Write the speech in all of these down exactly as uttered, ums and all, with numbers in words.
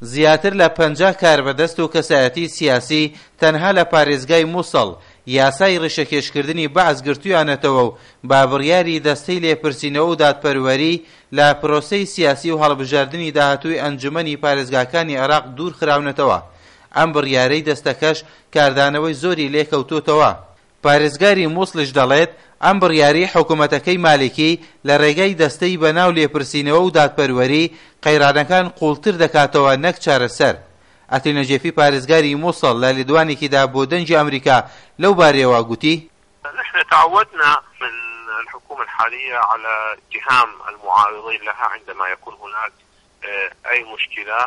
زیاتر لە پەنجا کاربەدەست و کەسایەتی سیاسی تەنها لە پارێزگای موسڵ یاسای ڕیشەکێشکردنی بەعس گرتوویانەتەوە و بە بڕیاری دەستەی لێپرسینەوە و دادپەروەری لە پرۆسەی سیاسی و هەڵبژاردنی داهاتووی ئەنجومەنی پارێزگاکانی عێراق دوور خراونەتەوە. ئەم بڕیارەی دەستەکەش کاردانەوەی زۆری لێکەوتووەتەوە. پارێزگاری موسڵیش دەڵێت ئەم بڕیارەی حکومەتەکەی مالیکی لە ڕێگای دەستەی بەناو لێپرسینەوە و دادپەروەری قەیرانەکان قوڵتر دەکاتەوە نەک چارەسەر. عەتیل نەجەفی پارێزگاری موسڵ لە لێدوانێکیدا بۆ دەنگی ئەمریکا لەو بارەیەوە گوتی: نحن تعودنا من الحكومة الحالية على اتهام المعارضين لها عندما يكون هناك أي مشكلة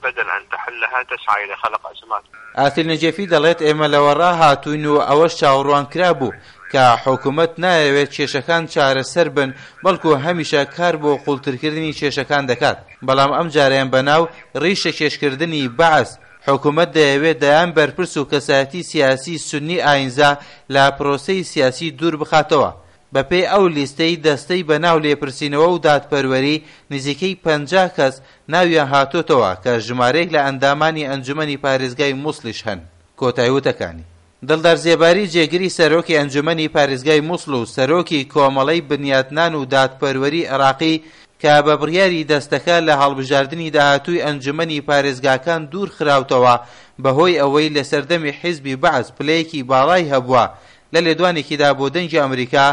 بدل أن تحلها تسعى إلى خلق أزمات. عەتیل نەجەفی دەڵێت ئێمە لەوە ڕاهاتووین و ئەوەش چاوەڕوان کرابوو کە حکومەت نایەوێت کێشەکان چارەسەر بن، بەڵکو هەمیشە کار بۆ قوڵترکردنی کێشەکان دەکات. بەڵام ئەم جارەیان بەناو ڕیشەکێشکردنی بەعس حکومەت دەیەوێت دەیان بەرپرس و کەسایەتی سیاسی سوننی ئاینزا لە پرۆسەی سیاسی دوور بخاتەوە. بەپێی ئەو لیستەی دەستەی بەناو لێپرسینەوە و دادپەروەری نزیکەی پەنجا کەس ناویان هاتۆتەوە کە ژمارەیەک لە ئەندامانی ئەنجومەنی پارێزگای موسڵیش هەن. کۆتایی وتەکانی دڵدار زێباری جێگری سەرۆکی ئەنجومەنی پارێزگای موسڵ و سەرۆکی کۆمەڵەی بنیاتنان و دادپەروەری عێراقی کە بە بڕیاری دەستەکە لە هەڵبژاردنی داهاتووی ئەنجومەنی پارێزگاکان دوور خراوتەوە بەهۆی ئەوەی لە سەردەمی حیزبی بەعس پلەیەکی باڵای هەبووە، لە لێدوانێکیدا بۆ دەنگی ئەمریکا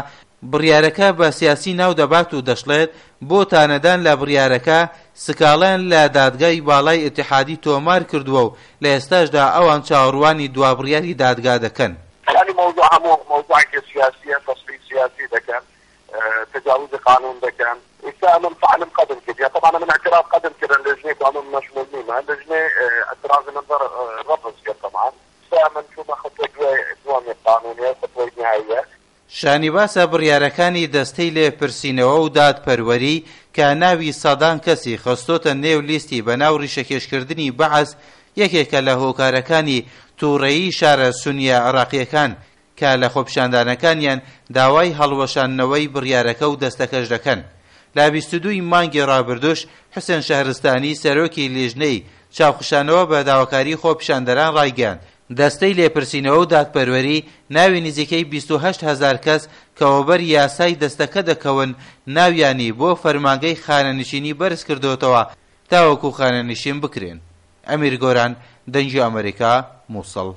بڕیارەکە بە سیاسی ناو دەبات و دەشڵێت بۆ تانەدان لە بڕیارەکە سکاڵیان لە دادگای باڵای ئیتیحادی تۆمار کردووە و لە ئێستاشدا ئەوان چاوەڕوانی دوا بڕیاری دادگا دەکەن. یعنی موضوع هەموو موضوعێکی سیاسیە، تصفیه سیاسی دەکەن، تجاوز قانون دەکەن. ئێستا ئەمن فعلا قدم کرد، طبعا من اعتراض قدم کردن لجنة وأنا مشمول نیمە لجنة اعتراض من رفض کرد طبعا. ئێستا من چوومە خطوة دووەمی قانونیە، خطوة نهائیە. شانی باسە بڕیارەکانی دەستەی لێپرسینەوە و دادپەروەری کە ناوی سەدان کەسی خستۆتە نێو لیستی بەناو ڕیشەکێشکردنی بەعس یەکێکە لە هۆکارەکانی تووڕەیی شارە سونیە عێراقیەکان کە لە خۆپیشاندانەکانیان داوای هەڵوەشاندنەوەی بڕیارەکە و دەستەکەش دەکەن. لە بیست و دووی مانگی ڕابردوش حوسێن شەهرستانی سەرۆکی لیژنەی چاوخشانەوە بە داواکاری خۆپیشاندەران ڕایگەیاند دەستەی لێپرسینەوە و دادپەروەری ناوی نزیکەی بیست و هەشت هەزار کەس کە وەبەر یاسای دەستەکە دەکەون ناویانی بۆ فەرمانگەی خانەنشینی بەرز کردوتەوە تاوەکو خانەنشین بکرێن. ئەمیر گۆران، دەنگی ئەمریکا، موسڵ.